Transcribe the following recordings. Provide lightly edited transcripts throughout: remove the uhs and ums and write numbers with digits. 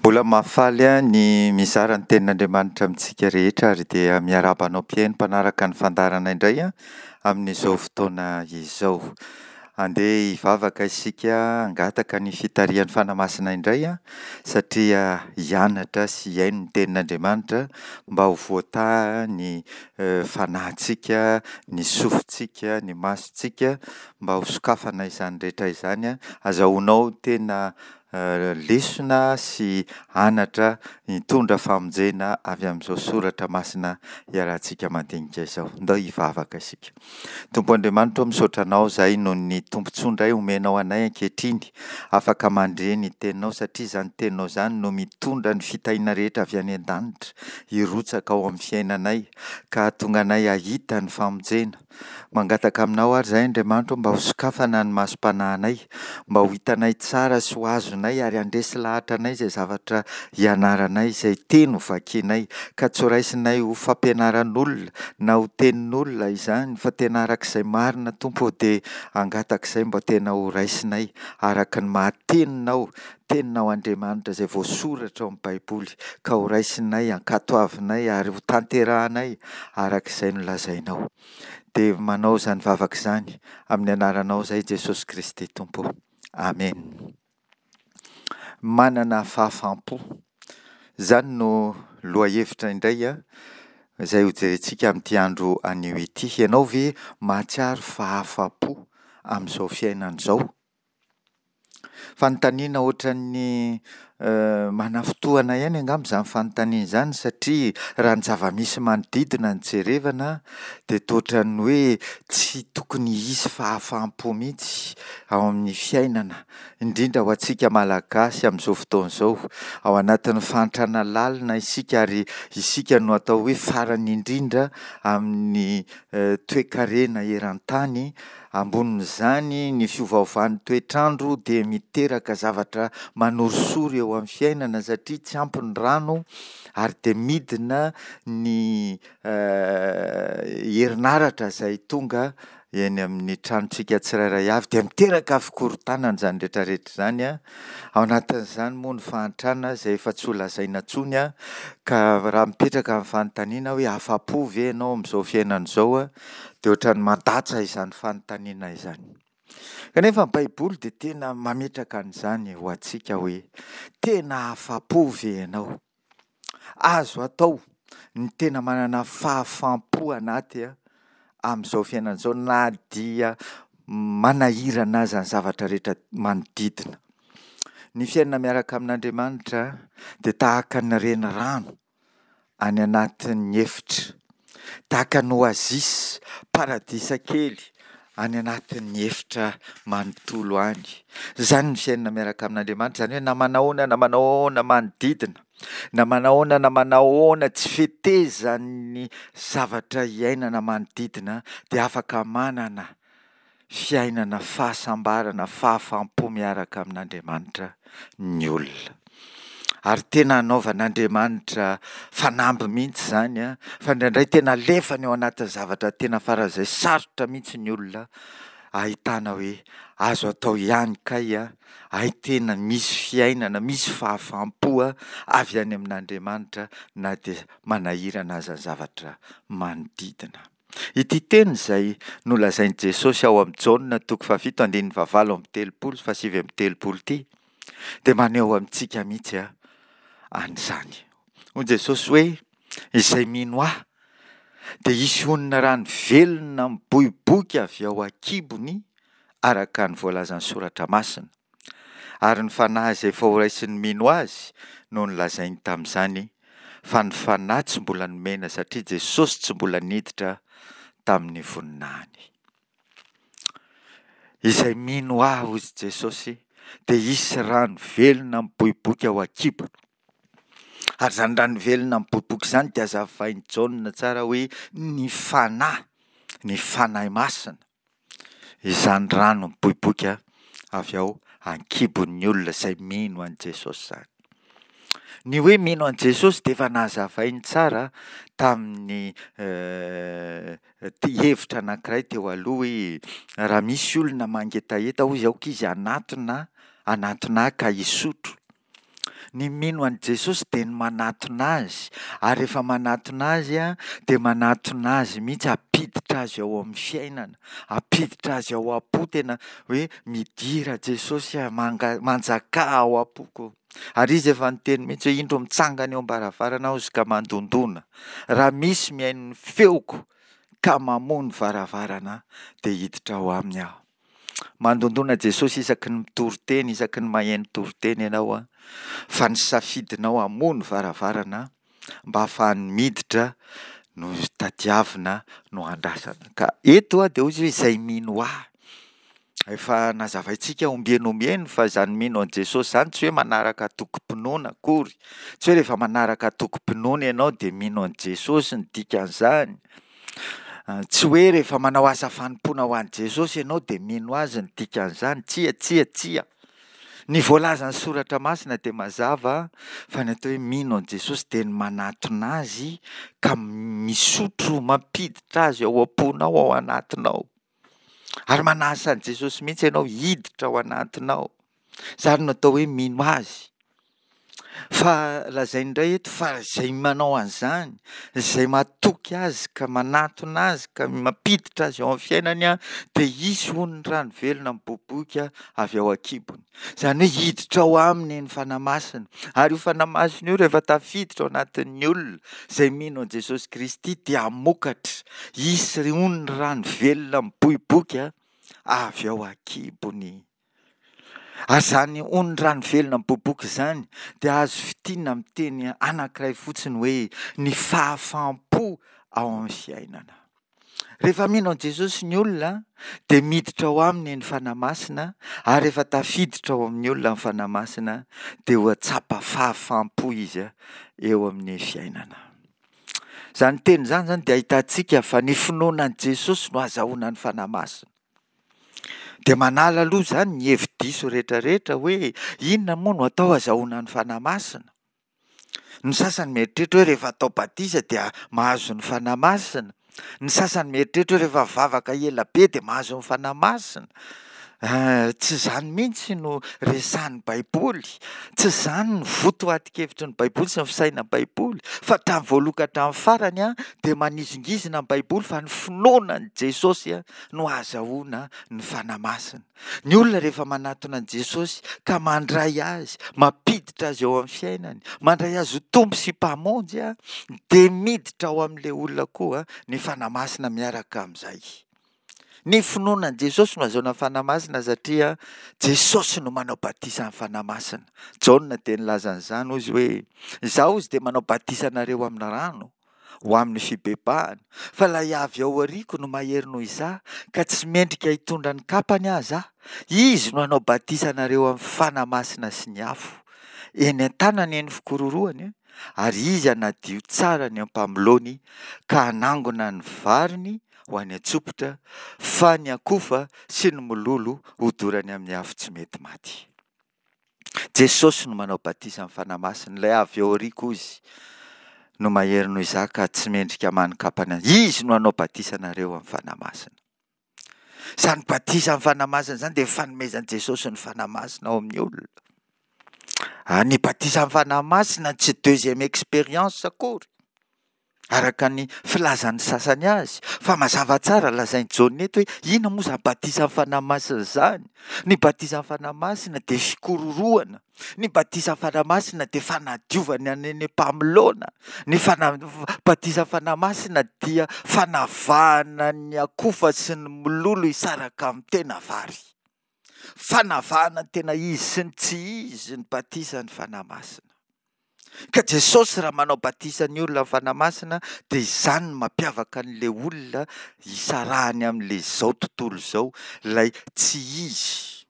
Mbola mahafaly ahy ny mizara ny tenin'Andriamanitra amintsika rehetra ary dia miarahaba anao mpihaino mpanaraka ny fandaharana indray amin'izao fotoana izao. Andeha hivavaka isika hangataka ny fitarihan'ny Fanahy Masina indray satria hianatra sy hihaino ny tenin'Andriamanitra mba ho voataha ny fanahintsika, ny sofintsika, ny masontsika mba ho sokafana izany rehetra izany azahoanao tena lesona sy anatra hitondra famonjena avy amin'izao soratra masina iarahantsika mandinika izao. Ndao hivavaka isika. Tompo Andriamanitra ô, misaotra Anao izahay noho ny tombontsoa indray omenao anay ankehitriny, afaka mandre ny Teninao satria izany Teninao izany no mitondra ny fitahiana rehetra avy any an-danitra hirotsaka ao amin'ny fiainanay ka hahatonga anay hahita ny famonjena. Mangataka aminao ary izahay Andriamanitra ô mba ho sokafana ny masom-panahinay, mba ho hitanay tsara sy ho azonay ary handresy lahatra anay izay zavatra ianaranay, izay teny ho vakinay, ka tsy ho raisinay ho fampianaran'olona na ho tenin'olona izany fa tena araka izay marina Tompo ô dia hangataka izay mba tena ho raisinay araka ny maha teninao, teninao Andriamanitra izay voasoratra ao amin'ny Baiboly ka ho raisinay, ankatoavinay ary ho tanterahanay araka izay nolazainao. Dia manao izany vavaka izany amin'ny anaranao izay Jesosy Kristy Tompo. Amen. Manana fahafaham-po. Izany no lohahevitra indray izay hojerentsika amin'ity andro anio ity. Ianao ve mahatsiaro fahafa-po amin'izao fiainana izao? Fanontaniana ohatran'ny manafintohina ihany angamba izany fanontaniana izany satria raha ny zava-misy manodidina no jerevana dia toa ohatran'ny hoe tsy tokony hisy fahafaham-po mihitsy ao amin'ny fiainana, indrindra ho antsika Malagasy amin'izao fotoana izao. Ao anatin'ny fahantrana lalina isika ary isika no atao hoe farany indrindra amin'ny toekarena eran-tany. Ambonin'izany, ny fiovaovan'ny toetr'andro dia miteraka zavatra manorisory eo amin'ny fiainana satria tsy ampy ny rano ary dia midina ny herinaratra izay tonga eny amin'ny tranontsika tsirairay avy dia miteraka fikorontanana izany rehetra rehetra izany. Ao anatin'izany moa ny fahantrana izay efa tsy ho lazaina intsony ka raha mipetraka ny fanontaniana hoe afa-po ve ianao amin'izao fiainana izao Dia ohatran'ny mandatsa izany fanontaniana izany. Kanefa ny Baiboly dia tena mametraka an'izany ho antsika hoe, tena afa-po ve ianao? Azo atao ny tena manana fahafaham-po anaty amin'izao fiainana izao na dia manahirana aza ny zavatra rehetra manodidina. Ny fiainana miaraka amin'Andriamanitra dia tahaka ny renirano any anatin'ny efitra, tahaka ny oasis, paradisa kely any anatin'ny efitra manontolo any. Izany ny fiainana miaraka amin'Andriamanitra, izany hoe na manahoana na manahoana manodidina, na manahoana na manahoana tsy fetezan'ny zavatra iainana manodidina dia afaka manana fiainana fahasambarana, fahafaham-po miaraka amin'Andriamanitra ny olona. Ary tena anaovan'Andriamanitra fanamby mihitsy izany, fa indraindray tena alefany ao anatin'ny zavatra tena faran'izay sarotra mihitsy ny olona, ahitana hoe azo atao ihany kay, hay tena misy fiainana, misy fahafaham-po avy any amin'Andriamanitra na dia manahirana aza ny zavatra manodidina. Ity teny izay nolazain'i Jesosy ao amin'ny Jaona toko fahafito andininy fahavalo amby telopolo sy fahasivy amby telopolo ity dia maneho amintsika mihitsy an'izany. Hoy Jesosy hoe, Izay mino Ahy dia hisy honina rano velona miboiboika avy ao an-kibony araka ny voalazan'ny Soratra Masina. Ary ny Fanahy izay efa horaisin'ny mino Azy no nolazainy tamin'izany, fa ny Fanahy tsy mbola nomena satria Jesosy tsy mbola niditra tamin'ny voninahiny. Izay mino Ahy, hoy Jesosy, dia hisy rano velona miboiboika ao an-kibony. Ary izany rano velona miboiboika izany dia hazavain'i Jaona tsara hoe ny Fanahy, ny Fanahy Masina. Izany rano miboiboika avy ao an-kibon'ny olona izay mino an'i Jesosy izany. Ny hoe mino an'i Jesosy dia efa nazavainy tsara tamin'ny hevitra anankiray teo aloha hoe raha misy olona mangetaheta hoy izy aoka izy hanatona, hanatona ahy ka hisotro. Ny mino an'i Jesosy dia ny manatona Azy, ary rehefa manatona Azy dia manatona Azy mihitsy hampiditra Azy ao amin'ny fiainana, hampiditra Azy ao am-po, tena hoe midira Jesosy ah, manga-manjakà ao am-poko. Ary Izy efa niteny mihitsy hoe indro mitsangana eo am-baravarana aho izy ka mandondona, raha misy mihaino ny feoko ka mamoha ny varavarana dia hiditra ao aminy aho. Mandondona Jesosy isaky ny mitory teny, isaky ny maheno toriteny ianao an, fa ny safidinao hamoha ny varavarana mba hahafahany miditra no tadiavina no andrasana. Ka eto dia hoy izy hoe izay mino ahy. Efa nazavaintsika ombieny ombieny fa izany mino an'i Jesosy izany tsy hoe manaraka antokom-pinoana akory. Tsy hoe rehefa manaraka antokom-pinoana ianao dia mino an'i Jesosy ny dikan'izany. Tsy hoe rehefa manao asa fanompoana ho an'i Jesosy ianao dia mino Azy ny dikan'izany. Tsia, tsia, tsia. Ny voalazan'ny Soratra Masina dia mazava fa ny atao hoe mino an'i Jesosy dia ny manatona Azy ka misotro, mampiditra Azy ao am-ponao, ao anatinao. Ary manasa an'i Jesosy mihitsy ianao hiditra ao anatinao. Izany no atao hoe mino Azy. Fa lazainy indray eto fa izay manao an'izany, izay matoky Azy ka manatona Azy ka mampiditra Azy ao amin'ny fiainany dia hisy hono ny rano velona miboiboika avy ao an-kibony. Izany hoe hiditra ao aminy ny Fanahy Masina. Ary io Fanahy Masina io rehefa tafiditra ao anatin'ny olona izay mino an'i Jesosy Kristy dia hamokatra, hisy hono ny rano velona miboiboika avy ao an-kibony. Ary izany hono ny rano velona miboiboika izany dia azo fintinina amin'ny teny anankiray fotsiny hoe ny fahafaham-po ao amin'ny fiainana. Rehefa mino an'i Jesosy ny olona dia miditra ao aminy ny Fanahy Masina ary rehefa tafiditra ao amin'ny olona ny Fanahy Masina dia ho tsapa fahafaham-po izy eo amin'ny fiainana. Izany teny izany izany dia ahitantsika fa ny finoana an'i Jesosy no azahoana ny Fanahy Masina. Dia manala aloha izany ny hevi-diso rehetrarehetra hoe inona moa no atao azahoana ny Fanahy Masina? Ny sasany mieritreritra hoe rehefa atao batisa dia mahazo ny Fanahy Masina. Ny sasany mieritreritra hoe rehefa mivavaka ela be dia mahazo ny Fanahy Masina. Tsy izany mihitsy no resahin'ny Baiboly. Tsy izany ny votoatin-kevitry ny Baiboly sy ny fisainan'ny Baiboly. Fa hatramin'ny voalohany ka hatramin'ny farany dia manizingizina ny Baiboly fa ny finoana an'i Jesosy no ahazahoana ny Fanahy Masina. Ny olona rehefa manatona an'i Jesosy ka mandray Azy, mampiditra Azy eo amin'ny fiainany, mandray Azy ho Tompo sy Mpamonjy, dia miditra ao amin'ilay olona koa ny Fanahy Masina miaraka amin'izay. Ny finoana an'i Jesosy no ahazoana ny Fanahy Masina satria Jesosy no manao batisa ny Fanahy Masina. Jaona dia nilaza an'izany hozy hoe, Izaho hozy dia manao batisa anareo amin'ny rano, ho amin'ny fibebahana, fa ilay avy ao aoriako no mahery noho izaho, ka tsy mendrika hitondra ny kapany aza aho. Izy no hanao batisa anareo amin'ny Fanahy Masina sy ny afo. Eny an-tanany ny fikororohany, ary izy hanadio tsara ny ampamoloany ka hanangona ny variny ho any an-tsopitra, fa ny akofa sy ny mololo hodorany amin'ny afo tsy mety maty. Jesosy no manao batisa amin'ny Fanahy Masina, ilay avy eo aoriako Izy no mahery noho izaho ka tsy mendrika manin-kapana azy. Izy no hanao batisa anareo amin'ny Fanahy Masina. Izany batisa amin'ny Fanahy Masina izany dia fanomezan'i Jesosy ny Fanahy Masina ao amin'ny olona. Ah, ny batisa amin'ny Fanahy Masina tsy deuxième expérience akory. Araka ny filazan'ny sasany azy, fa mazava tsara lazain'i Jaona eto hoe inona moa izany batisan'ny Fanahy Masina izany? Ny batisan'ny Fanahy Masina dia fikororohana, ny batisan'ny Fanahy Masina dia fanadiovana ny any am-pamoloana, ny fana- batisan'ny Fanahy Masina dia fanavahana ny akofa sy ny mololo hisaraka amin'ny tena vary. Fanavahana ny tena izy sy ny tsy izy ny batisan'ny Fanahy Masina. Ka Jesosy raha manao batisa ny olona amin'ny Fanahy Masina dia izany no mampiavaka an'ilay olona hisarahany amin'ilay izao tontolo izao, ilay tsy izy.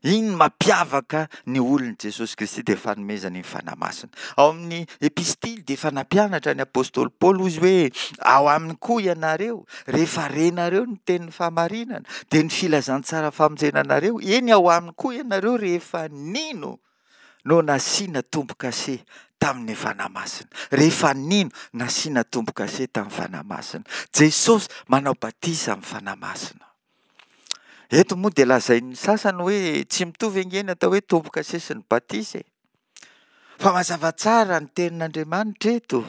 Iny no mampiavaka ny olon'i Jesosy Kristy dia fanomezana iny Fanahy Masina. Ao amin'ny epistily dia efa nampianatra ny apostoly Paoly hozy hoe ao aminy koa ianareo rehefa renareo ny tenin'ny fahamarinana dia ny filazantsara famonjena anareo, eny ao aminy koa ianareo rehefa nino no nasiana tombo-kase tamin'ny Fanahy Masina. Rehefa nino, nasiana tombo-kase tamin'ny Fanahy Masina. Jesosy manao batisa amin'ny Fanahy Masina. Eto moa dia lazain'ny sasany hoe tsy mitovy ange ny atao hoe tombo-kase sy ny batisa e. Fa mazava tsara ny tenin'Andriamanitra eto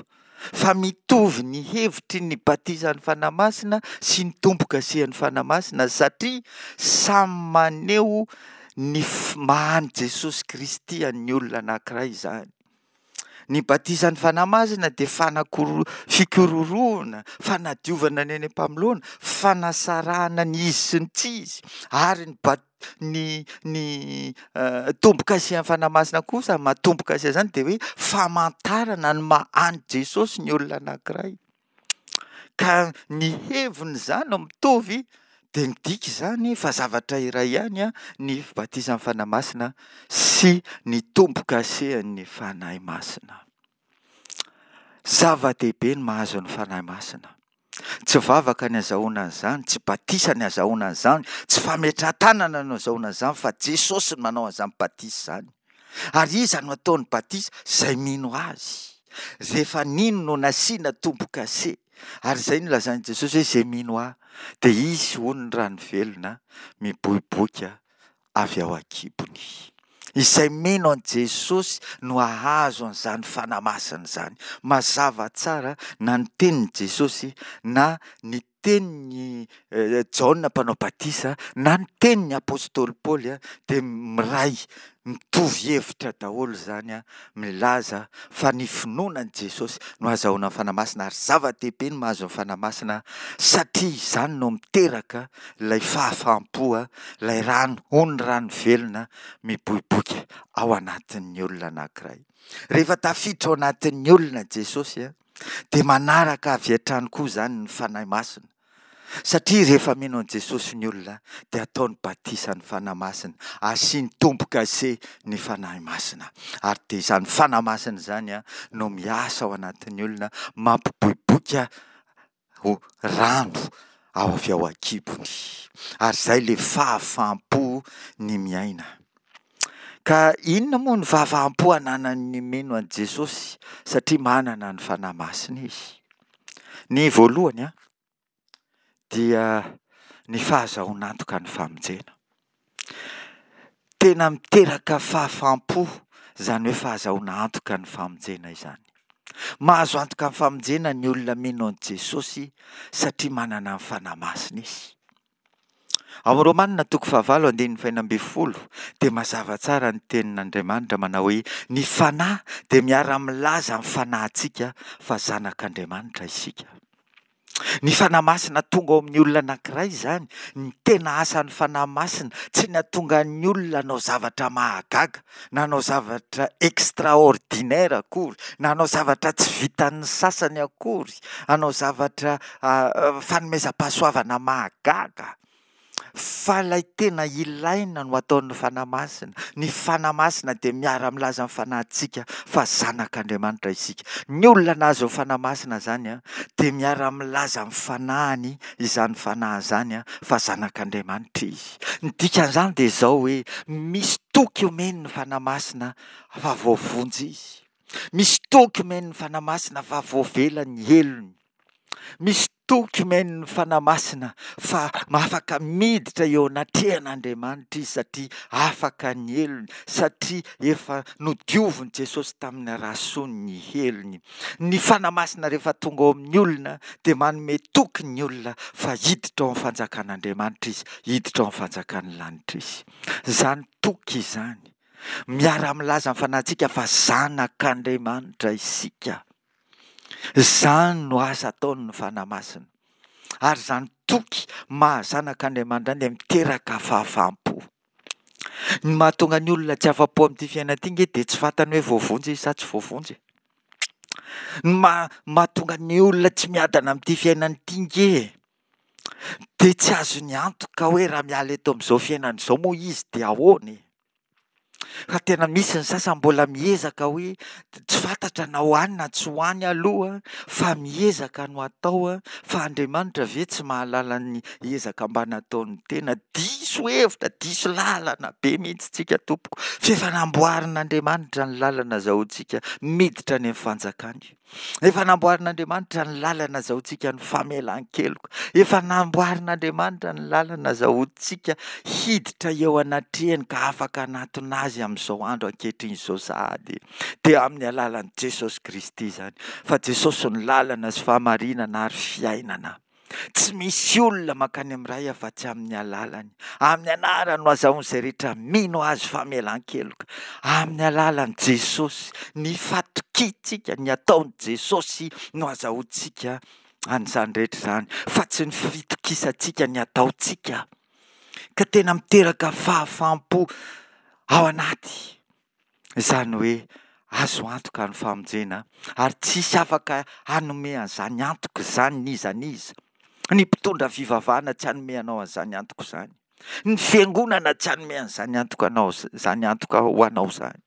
fa mitovy ny hevitry ny batisan'ny Fanahy Masina sy ny tombo-kasihan'ny Fanahy Masina satria samy maneho ny maha an'i Jesosy Kristy an'ny olona anankiray izany. Ny batisan'ny Fanahy Masina dia fanakoro- fikororohana, fanadiovana ny any am-pamoloana, fanasarahana ny izy sy ny tsy izy, ary ny bat- ny ny tombo-kasihan'ny Fanahy Masina kosa, ny maha tombo-kasia izany dia hoe famantarana ny maha an'i Jesosy ny olona anankiray. Ka ny heviny izany no mitovy dia midika izany fa zavatra iray ihany ny batisan'ny Fanahy Masina sy ny tombo-kasehan'ny Fanahy Masina. Zava-dehibe ny mahazo ny Fanahy Masina. Tsy vavaka ny azahoana an'izany, tsy batisa ny azahoana an'izany, tsy fametrahan-tanana no azahoana an'izany fa Jesosy no manao an'izany batisa izany. Ary iza no ataony batisa? Izay mino Azy. Rehefa nino no nasiana tombo-kase. Ary izay no lazain'i Jesosy hoe izay mino Ahy dia hisy hono ny rano velona miboiboika avy ao an-kibony. Izay mino an'i Jesosy no hahazo an'izany Fanahy Masina izany. Mazava tsara na ny tenin'i Jesosy na ny tenin'i Jaona mpanao batisa na ny tenin'ny apostoly Paoly dia miray mitovy hevitra daholo izany milaza fa ny finoana an'i Jesosy no ahazahoana ny Fanahy Masina ary zava-dehibe ny mahazo ny Fanahy Masina satria izany no miteraka ilay fahafaham-po, ilay rano, ony rano velona miboiboika ao anatin'ny olona anankiray. Rehefa tafiditra ao anatin'ny olona Jesosy Dia manaraka avy hatrany koa izany ny Fanahy Masina. Satria rehefa mino an'i Jesosy ny olona dia ataony batisa ny Fanahy Masina, asiany tombo-kase ny Fanahy Masina. Ary dia izany Fanahy Masina izany no miasa ao anatin'ny olona, mampiboiboika ho rano ao avy ao an-kibony. Ary izay ilay fahafaham-po ny miaina. Ka inona moa ny fahafaham-po ananan'ny mino an'i Jesosy satria manana ny Fanahy Masina izy? Ny voalohany an, dia ny fahazahoana antoka ny famonjena. Tena miteraka fahafaham-po izany hoe fahazahoana antoka ny famonjena izany. Mahazo antoka ny famonjena ny olona mino an'i Jesosy satria manana ny Fanahy Masina izy. Ao amin'ny Romanina toko fahavalo andininy fahena ambin'ny folo dia mazava tsara ny tenin'Andriamanitra manao hoe ny Fanahy dia miara-milaza amin'ny fanahintsika fa zanak'Andriamanitra isika. Ny Fanahy Masina tonga ao amin'ny olona anankiray izany, ny tena asan'ny Fanahy Masina, tsy ny hahatonga ny olona hanao zavatra mahagaga, na hanao zavatra extraordinaire akory, na hanao zavatra tsy vitan'ny sasany akory, hanao zavatra fanomezam-pahasoavana mahagaga, fa ilay tena ilaina no ataon'ny Fanahy Masina. Ny Fanahy Masina dia miara-milaza amin'ny fanahintsika fa zanak'Andriamanitra isika. Ny olona nahazo ny Fanahy Masina izany dia miara-milaza amin'ny fanahiny izany fanahy izany fa zanak'Andriamanitra izy. Ny dikan'izany dia izao hoe misy toky omen'ny Fanahy Masina fa voavonjy izy. Misy toky omen'ny Fanahy Masina fa voavela ny helony. Misy toky omen'ny Fanahy Masina fa afaka miditra eo anatrehan'Andriamanitra izy satria afaka ny helony, satria efa nodiovin'i Jesosy tamin'ny rasony ny helony. Ny Fanahy Masina rehefa tonga ao amin'ny olona dia manome toky ny olona fa hiditra ao amin'ny fanjakan'Andriamanitra izy, hiditra ao amin'ny fanjakan'ny lanitra izy. Izany toky izany, miara-milaza amin'ny fanahintsika fa zanak'Andriamanitra isika. Izany no asa ataon'ny Fanahy Masina. Ary izany toky maha zanak'Andriamanitra izany dia miteraka fahafaham-po. Ny mahatonga ny olona tsy afa-po amin'ity fiainana ity ange dia tsy fantany hoe voavonjy izy sa tsy voavonjy e. Ny maha- mahatonga ny olona tsy miadana amin'ity fiainana ity ange dia tsy azony antoka hoe raha miala eto amin'izao fiainana izao moa izy dia ahoana e. Fa tena misy ny sasany mbola miezaka hoe tsy fantatra na ho any na tsy ho any aloha fa miezaka no atao fa Andriamanitra ve tsy mahalala ny ezaka mba nataon'ny tena? Diso hevitra, diso lalana be mihitsy tsika tompoko, f'efa namboarin'Andriamanitra ny lalana azahoantsika miditra any amin'ny fanjakany. Efa namboarin'Andriamanitra ny lalana azahoantsika ny famelan-keloka. Efa namboarin'Andriamanitra ny lalana azahoantsika hiditra eo anatrehany ka afaka hanatona Azy amin'izao andro ankehitriny izao sahady. Dia amin'ny alalan'i Jesosy Kristy izany. Fa Jesosy no lalana sy fahamarinana ary fiainana. Tsy misy olona mankany amin'ny Ray afa-tsy amin'ny alalany. Amin'ny anarany no azahoan'izay rehetra mino Azy famelan-keloka. Amin'ny alalan'i Jesosy, ny fatokiantsika ny ataon'i Jesosy no azahoantsika an'izany rehetra izany, fa tsy ny fitokisantsika ny ataontsika. Ka tena miteraka fahafaham-po ao anaty. Izany hoe azo antoka ny famonjena ary tsisy afaka hanome an'izany antoka izany n'iza n'iza. Ny mpitondra fivavahana tsy hanome anao an'izany antoka izany. Ny fiangonana tsy hanome an'izany antoka anao izany antoka ho anao izany.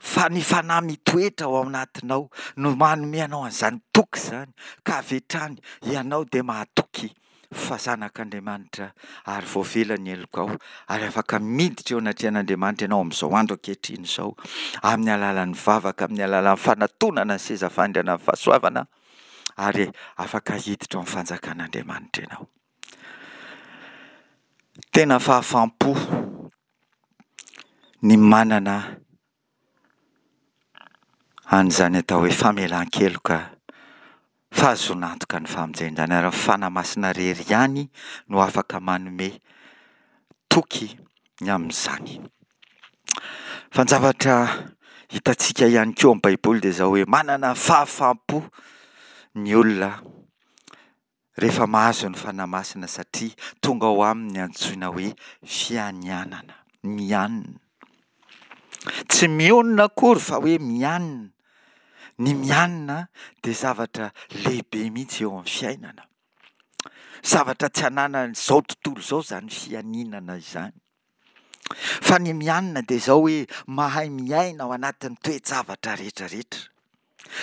Fa ny fanahy mitoetra ao anatinao no manome anao an'izany toky izany ka avy hatrany ianao dia mahatoky fa zanak'Andriamanitra ary voavela ny helokao ary afaka miditra eo anatrehan'Andriamanitra ianao amin'izao andro ankehitriny izao amin'ny alalan'ny vavaka, amin'ny alalan'ny fanatonana ny seza fandrianan'ny fahasoavana ary afaka hiditra ao amin'ny fanjakan'Andriamanitra ianao. Tena fahafaham-po ny manana an'izany atao hoe famelan-keloka, fahazoana antoka ny famonjena izany ary ny Fanahy Masina irery ihany no afaka manome toky ny amin'izany. Fa ny zavatra hitantsika ihany koa amin'ny Baiboly dia izao hoe manana fahafaham-po ny olona rehefa mahazo ny Fanahy Masina satria tonga ao aminy ny antsoina hoe fianianana, mianina. Tsy mionona akory fa hoe mianina. Ny mianina dia zavatra lehibe mihitsy eo amin'ny fiainana. Zavatra tsy ananan'izao tontolo izao izany fianinana izany. Fa ny mianina dia izao hoe mahay miaina ao anatin'ny toe-javatra rehetra rehetra.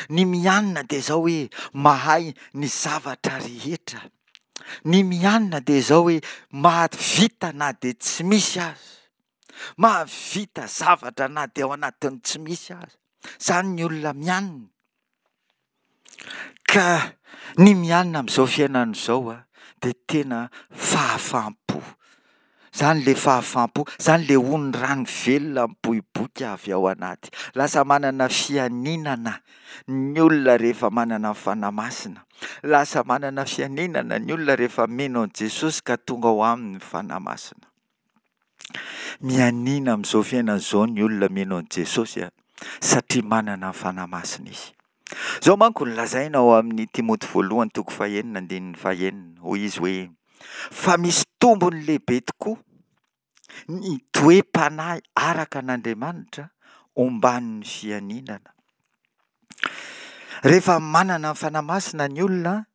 Ny mianina dia izao hoe mahay ny zavatra rehetra. Ny mianina dia izao hoe mahavita na dia tsy misy aza. Mahavita zavatra na dia ao anatin'ny tsy misy aza. Izany ny olona mianina. Ka ny mianina amin'izao fiainana izao dia tena fahafaham-po. Izany ilay fahafaham-po, izany ilay ony rano velona miboiboika avy ao anaty. Lasa manana fianinana ny olona rehefa manana ny Fanahy Masina. Lasa manana fianinana ny olona rehefa mino an'i Jesosy ka tonga ao aminy ny Fanahy Masina. Mianiana amin'izao fiainana izao ny olona mino an'i Jesosy satria manana ny Fanahy Masina izy. Izao manko no lazaina ao amin'ny Timoty voalohany toko fahenina andininy fahenina, hoy izy hoe, Fa misy tombony lehibe tokoa ny toe-panahy araka an'Andriamanitra omban'ny fianinana. Rehefa manana ny Fanahy Masina ny olona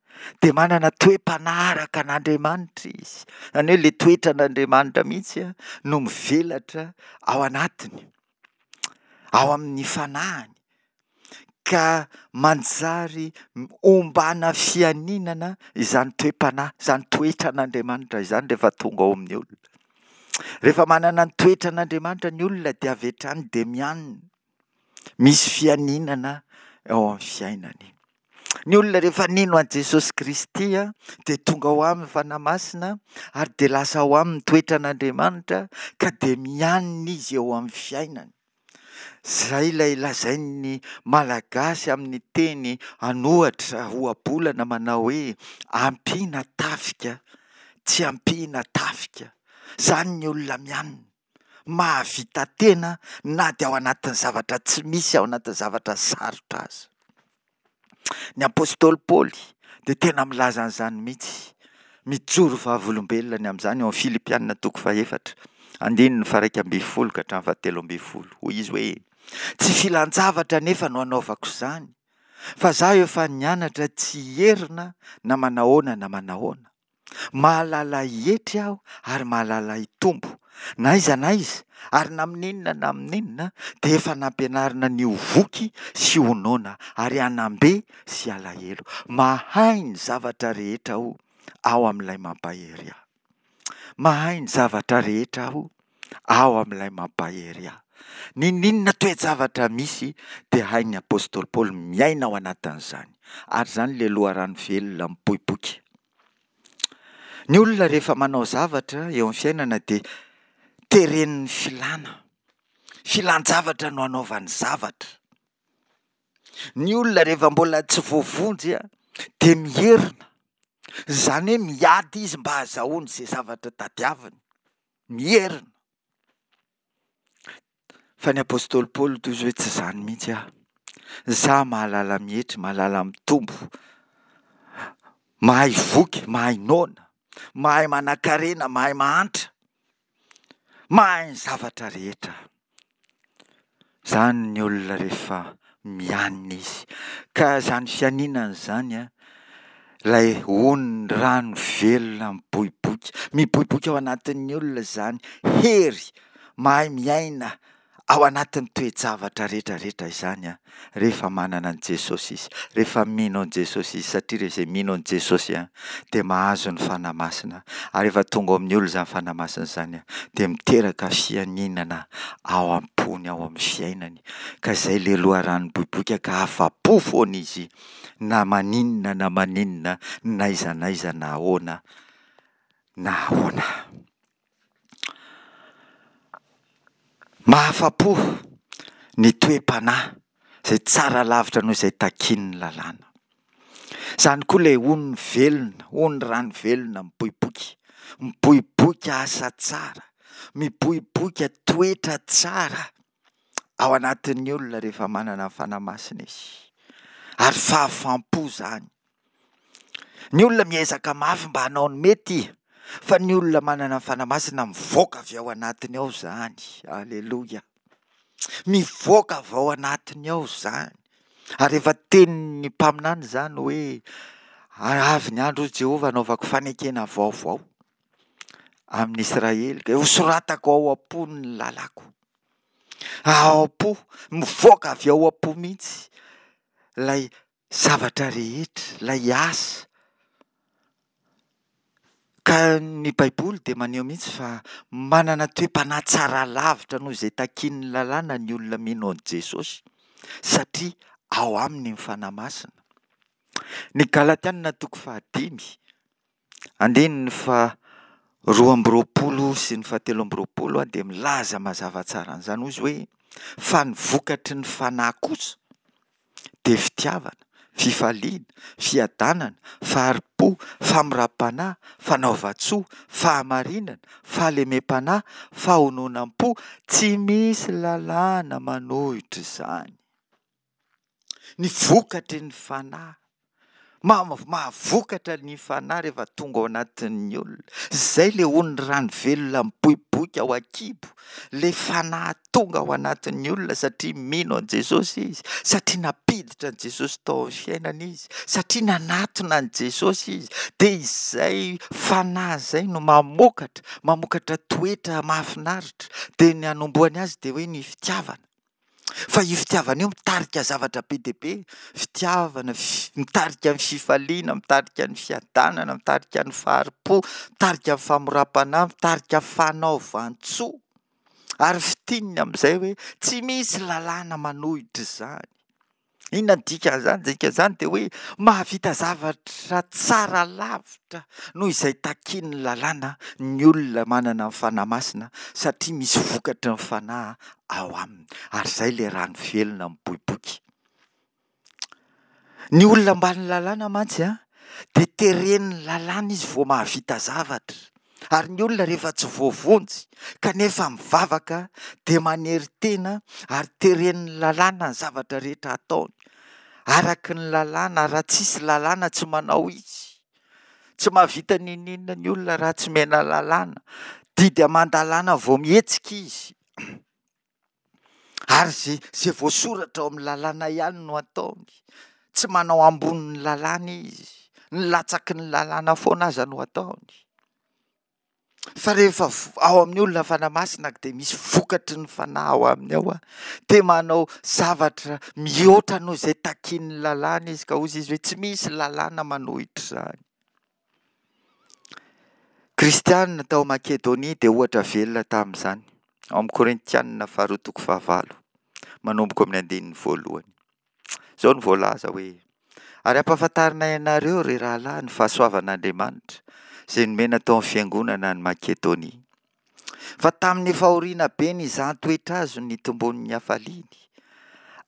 dia manana toe-panahy araka an'Andriamanitra izy. Izany hoe ilay toetran'Andriamanitra mihitsy no mivelatra ao anatiny, ao amin'ny fanahiny, ka manjary ombana fianinana izany toe-panahy, izany toetran'Andriamanitra izany rehefa tonga ao amin'ny olona. Rehefa manana ny toetran'Andriamanitra ny olona dia avy hatrany dia mianina. Misy fianinana ao amin'ny fiainany. Ny olona rehefa nino an'i Jesosy Kristy dia tonga ao aminy Fanahy Masina ary dia lasa ao aminy toetran'Andriamanitra ka dia mianina izy eo amin'ny fiainany. Izay ilay lazain'ny Malagasy amin'ny teny an'ohatra, ohabolana manao hoe ampiana tafika tsy ampiana tafika. Izany ny olona mianina. mahavita tena na dia ao anatin'ny zavatra tsy misy, ao anatin'ny zavatra sarotra aza. Ny apostoly Paoly dia tena milaza an'izany mihitsy, mijoro vavolombelona ny amin'izany ao amin'ny Filipiana toko fahefatra, andininy faharaika ambin'ny folo ka hatramin'ny fahatelo ambin'ny folo. Hoy izy hoe, Tsy filan-javatra anefa no anaovako izany, fa izaho efa nianatra tsy hierina na manahoana na manahoana. Mahalala hietry aho ary mahalala hitombo. Na aiza na aiza, ary na amin'inona na amin'inona, dia efa nampianarina ny ho voky sy ho noana, ary hanam-be sy halahelo. Mahay ny zavatra rehetra aho ao amin'ilay mampahery ahy. Mahay ny zavatra rehetra aho ao amin'ilay mampahery ahy. N'inon'inona toe-javatra misy dia hain'ny apostoly Paoly miaina ao anatin'izany. Ary izany ilay loharano velona mipoipoika. Ny olona rehefa manao zavatra eo amin'ny fiainana dia teren'ny filàna. Filan-javatra no anaovany zavatra. Ny olona rehefa mbola tsy voavonjy dia mierona. Izany hoe miady izy mba hahazahoany izay zavatra tadiaviny. Mierona. Fa ny apostoly Paoly toy izy hoe tsy izany mihitsy aho. Izaho mahalala mietry, mahalala mitombo, mahay voky, mahay noana, mahay manankarena, mahay mahantra, mahay ny zavatra rehetra. Izany ny olona rehefa mianina izy. Ka izany fianinana izany an, ilay ony rano velona miboiboika. Miboiboika ao anatin'ny olona izany hery mahay miaina ao anatin'ny toe-javatra rehetra rehetra izany an, rehefa manana an'i Jesosy izy, rehefa mino an'i Jesosy izy, satria ireo izay mino an'i Jesosy an, dia mahazo ny Fanahy Masina, ary rehefa tonga ao amin'ny olona izany Fanahy Masina izany an, dia miteraka fianinana ao am-pony, ao amin'ny fiainany, ka izay ilay loharano miboiboika ka afa-po foana izy na maninona na maninona, n'aiza n'aiza na ahoana na ahoana. Mahafa-po ny toe-panahy izay tsara lavitra noho izay takian'ny lalàna. Izany koa ilay ony velona, ony rano velona miboiboika, miboiboika asa tsara, miboiboika toetra tsara ao anatin'ny olona rehefa manana ny Fanahy Masina izy. Ary fahafaham-po izany. Ny olona miezaka mafy mba hanao ny mety, fa ny olona manana ny Fanahy Masina mivoaka avy ao anatiny ao izany. Aleloia. Mivoaka avy ao anatiny ao izany. Ary efa tenin'ny mpaminany izany hoe avy ny andro hoy Jehovah hanaovako fanekena vaovao amin'ny Israely, ka hosoratako ao am-pony ny lalàko. Ao am-po, mivoaka avy ao am-po mihitsy ilay zavatra rehetra, ilay asa. Ka ny Baiboly dia maneho mihitsy fa manana toe-panahy tsara lavitra noho izay takian'ny lalàna ny olona mino an'i Jesosy, satria ao aminy ny Fanahy Masina. Ny Galatiana toko fahadimy, andininy faha-22 sy ny faha-23 dia milaza mazava tsara an'izany, hoy izy hoe, Fa ny vokatry ny Fanahy kosa dia fitiavana, fifaliana, fiadanana, fahari-po, famoram-panahy, fanaovan-tsoa, fahamarinana, fahalemem-panahy, fahononam-po, tsy misy lalàna manohitra izany. Ny vokatry ny Fanahy. Mahavokatra ny Fanahy rehefa tonga ao anatin'ny olona. Izay ilay ony rano velona miboiboika ao an-kibo. Ilay Fanahy tonga ao anatin'ny olona satria mino an'i Jesosy izy, satria nampiditra an'i Jesosy tao amin'ny fiainany izy, satria nanatona an'i Jesosy izy. Dia izay Fanahy izay no mamokatra, mamokatra toetra mahafinaritra. Dia ny hanombohany azy dia hoe ny fitiavana. Fa io fitiavana io mitarika zavatra be dia be, fitiavana, mitarika ny fifaliana, mitarika ny fiadanana, mitarika ny fahari-po, mitarika ny famoram-panahy, mitarika fanaovan-tsoa. Ary fintininy amin'izay hoe tsy misy lalàna manohitra izany. Inona ny dikan'izany? Dikan'izany dia hoe mahavita zavatra tsara lavitra noho izay takian'ny lalàna ny olona manana ny Fanahy Masina satria misy vokatry ny Fanahy ao aminy. Ary izay ilay rano velona miboiboika. Ny olona ambany lalàna mantsy an, dia teren'ny lalàna izy vao mahavita zavatra. Ary ny olona rehefa tsy voavonjy kanefa mivavaka dia manery tena ary teren'ny lalàna ny zavatra rehetra ataony. Araky ny lalàna, raha tsisy lalàna tsy manao izy. Tsy mahavita n'inon'inona ny olona raha tsy omena lalàna. Didy aman-dalàna vao mihetsika izy. Ary ze ze voasoratra ao amin'ny lalàna ihany no ataony. Tsy manao ambonin'ny lalàna izy. Ny latsaky ny lalàna foana aza no ataony. Fa rehefa ao amin'ny olona Fanahy Masina dia misy vokatry ny Fanahy ao aminy ao, dia manao zavatra mihoatra noho izay takian'ny lalàna izy, ka hoy izy hoe tsy misy lalàna manohitra izany. Kristiana tao Makedonia dia ohatra velona tamin'izany. Ao amin'ny Korintianina faharoa toko fahavalo, manomboka amin'ny andininy voalohany. Izao no voalaza hoe, Ary ampahafantarinay anareo, ry rahalahy, ny fahasoavan'Andriamanitra, izay nomena tao amin'ny fiangonana any Makedonia. Fa tamin'ny fahoriana be nizahan-toetra azy no nitomboan'ny hafaliany,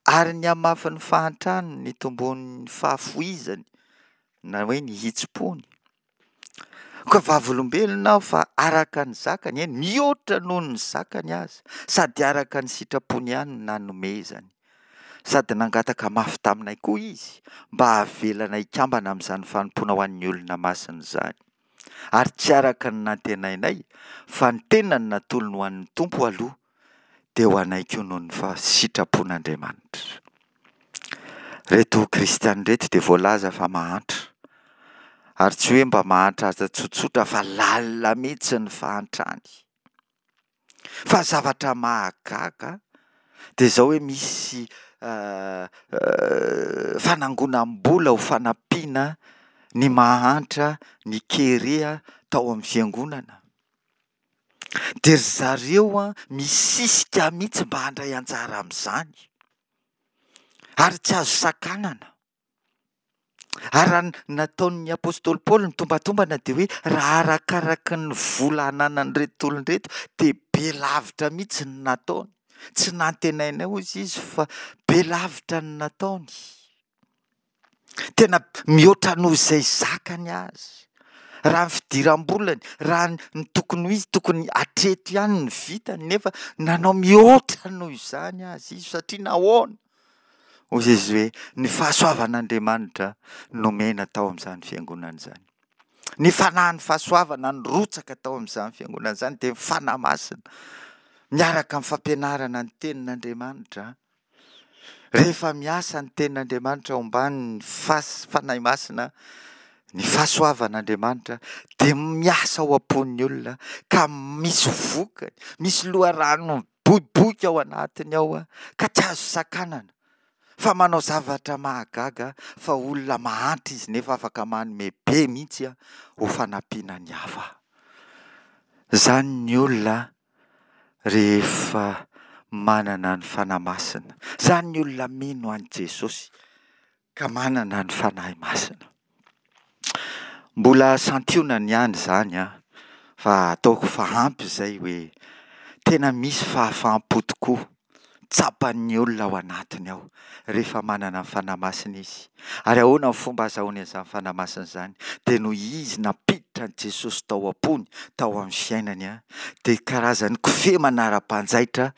ary ny hamafin'ny fahantrany no nitomboan'ny fahafoizany, na hoe ny hitsim-pony. Koa vavolombelona aho fa araka ny zakany, eny, mihoatra noho ny zakany aza, sady araka ny sitrapony ihany no nanomezany. Sady nangataka mafy taminay koa izy mba havelana hikambana amin'izany fanompoana ho an'ny olona masina izany. Ary tsy araka ny nantenainay, fa ny tenany natolony ho an'ny Tompo aloha, dia ho anay koa noho ny sitrapon'Andriamanitra. Ireto kristiana ireto dia voalaza fa mahantra. Ary tsy hoe mba mahantra tsotsotra fa lalina mihitsy ny fahantrany. Fa zavatra mahagaga dia izao hoe misy fanangonam-bola ho fanampiana ny mahantra, ny kere tao amin'ny fiangonana. Dia ry zareo misisika mihitsy mba handray anjara amin'izany. Ary tsy azo sakanana. Ary raha ny nataon'ny apostoly Paoly ny tombatombana dia hoe raha arakaraky ny vola ananan'ireto olona ireto dia be lavitra mihitsy ny nataony. Tsy nantenainay hozy izy fa be lavitra ny nataony. Tena mihoatra noho izay zakany aza. Raha ny fidiram-bolany, raha ny tokony ho izy, tokony hatreto ihany ny vitany nefa nanao mihoatra noho izany aza izy satria nahoana? Hoy izy hoe, Ny fahasoavan'Andriamanitra nomena tao amin'izany fiangonana izany. Ny fanahin'ny fahasoavana nirotsaka tao amin'izany fiangonana izany dia ny Fanahy Masina miaraka amin'ny fampianarana ny tenin'Andriamanitra. Rehefa miasa ny tenin'Andriamanitra ao ambanin'ny Fanahy Masina, ny fahasoavan'Andriamanitra dia miasa ao am-pon'ny olona ka misy vokany, misy loharano miboiboika ao anatiny ao ka tsy azo sakanana fa manao zavatra mahagaga fa olona mahantra izy nefa afaka manome be mihitsy ho fanampiana ny hafa. Izany ny olona rehefa manana ny Fanahy Masina. Izany ny olona mino an'i Jesosy. Ka manana ny Fanahy Masina. Mbola santionany ihany izany an, fa ataoko fa ampy izay hoe tena misy fahafaham-po tokoa tsapan'ny olona ao anatiny ao rehefa manana ny Fanahy Masina izy. Ary ahoana ny fomba azahoany an'izany Fanahy Masina izany? Dia noho izy nampiditra an'i Jesosy tao am-pony, tao amin'ny fiainany, dia karazan'ny kofehy manara-panjaitra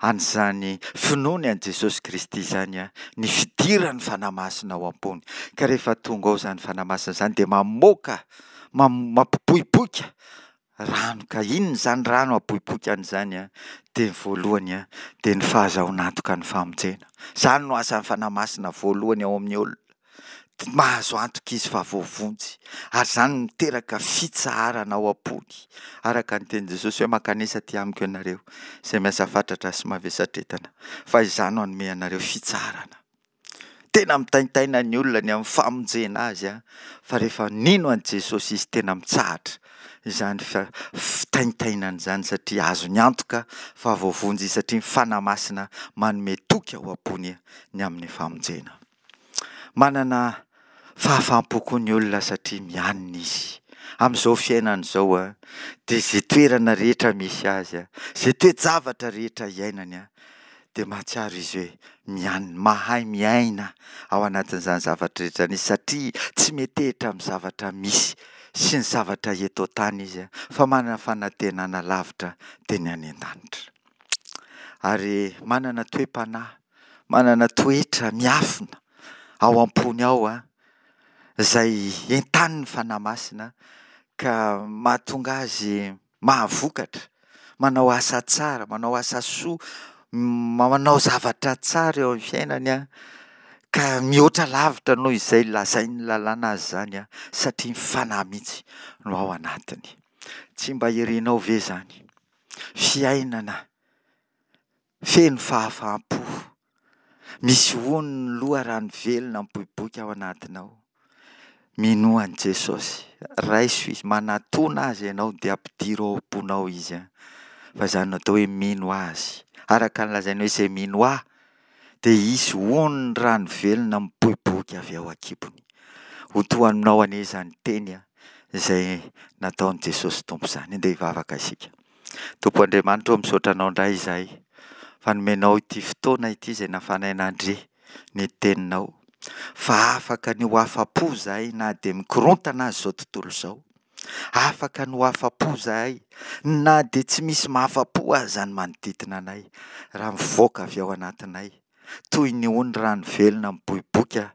an'izany finoany an'i Jesosy Kristy izany ny fidiran'ny Fanahy Masina ao am-pony. Ka rehefa tonga ao izany Fanahy Masina izany dia mamoaka, mampiboiboika rano. Ka inona izany rano aboiboikany izany? Dia ny voalohany dia ny fahazahoana antoka ny famonjena. Izany no asan'ny Fanahy Masina voalohany ao amin'ny olona. Mahazo antoka izy fa voavonjy, ary izany no miteraka fitsaharana ao am-pony. Araka ny tenin'i Jesosy hoe, Mankanesa aty amiko ianareo, izay miasa fatratra sy mavesatretana, fa izaho no hanome anareo fitsaharana. Tena mitaintaina ny olona ny amin'ny famonjena azy, fa rehefa nino an'i Jesosy izy, tena mitsahatra izany fitaintainana izany, satria azony antoka fa voavonjy izy, satria ny Fanahy Masina manome toky ao am-pony ny amin'ny famonjena. Manana fahafaham-po koa ny olona satria mianina izy. Amin'izao fiainana izao dia izay toerana rehetra misy azy, izay toe-javatra rehetra iainany dia mahatsiaro izy hoe mianina, mahay miaina ao anatin'izany zavatra rehetra izany izy satria tsy metehitra amin'ny zavatra misy sy ny zavatra eto an-tany izy fa manana fanantenana lavitra dia ny any an-danitra. Ary manana toe-panahy manana toetra miafina ao am-pony ao izay entanin'ny Fanahy Masina ka mahatonga azy mahavokatra, manao asa tsara, manao asa soa, manao zavatra tsara eo amin'ny fiainany ka mihoatra lavitra noho izay lazain'ny lalàna azy izany satria ny Fanahy mihitsy no ao anatiny. Tsy mba irinao ve izany? Fiainana Feno fahafaham-po. Misy hono ny loharano velona miboiboika ao anatinao. Minoa an'i Jesosy. Raiso Izy. Manatòna Azy ianao dia ampidiro ao am-ponao Izy. Fa izany no atao hoe mino Azy. Araka ny lazainy hoe izay mino Ahy dia hisy ony rano velona miboiboika avy ao an-kibony. Ho toa aminao anie izany teny izay nataon'i Jesosy Tompo izany. Andeha hivavaka isika. Tompo Andriamanitra ô, misaotra Anao indray izahay fa nomenao ity fotoana ity izay nahafahanay nandre ny Teninao. Fa afaka ny ho afa-po izahay na dia mikorontana aza izao tontolo izao. Afaka ny ho afa-po izahay na dia tsy misy mahafa-po aza ny manodidina anay raha mivoaka avy ao anatinay toy ny ony rano velona miboiboika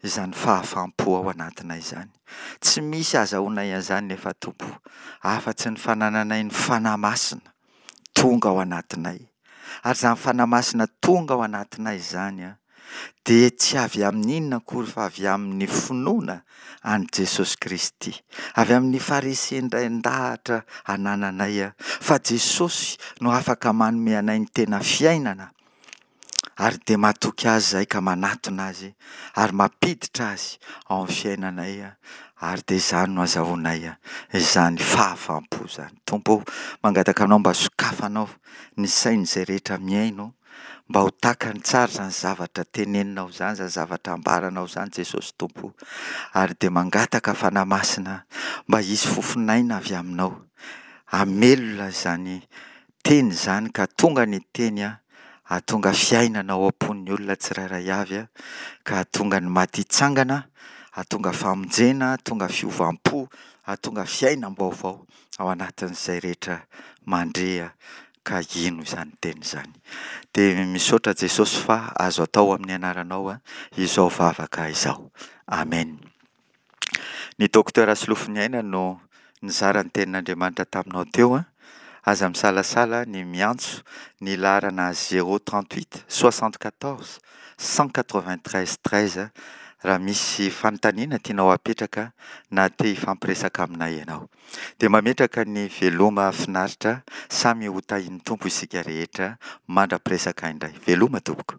izany fahafaham-po ao anatinay izany. Tsy misy azahoanay an'izany nefa Tompo afa-tsy ny fanananay ny Fanahy Masina tonga ao anatinay. Ary izany Fanahy Masina tonga ao anatinay izany dia tsy avy amin'inona akory fa avy amin'ny finoana an'i Jesosy Kristy, avy amin'ny faharesen-dahatra anananay fa Jesosy no afaka manome anay ny tena fiainana, ary dia matoky Azy izahay ka manatona Azy ary mampiditra Azy ao amin'ny fiainanay, ary dia izany no azahoanay izany fahafaham-po izany. Tompo ô, mangataka Anao mba sokafanao ny sain'izay rehetra mihaino, Mba ho takany tsara izany zavatra teneninao izany, izany zavatra ambaranao izany Jesosy Tompo o. Ary dia mangataka Fanahy Masina mba hisy fofon'aina avy aminao hamelona izany teny izany ka tonga ny teny hahatonga fiainana ao am-pon'ny olona tsirairay avy ka hahatonga ny maty hitsangana, hahatonga famonjena, hahatonga fiovam-po, hahatonga fiainam-baovao ao anatin'izay rehetra mandre ka hino izany teny izany. Dia misaotra Jesosy fa azo atao amin'ny anaranao izao vavaka izao. Amen. Ny Docteur Solofoniaina no nizara ny tenin'Andriamanitra taminao teo. Aza misalasala ny miantso ny laharana 038 74 193 13 raha misy fanontaniana tianao hapetraka na te hifampiresaka aminay ianao. Dia mametraka ny veloma finaritra, samy ho tahin'ny Tompo isika rehetra mandra-piresaka indray. Veloma tompoko.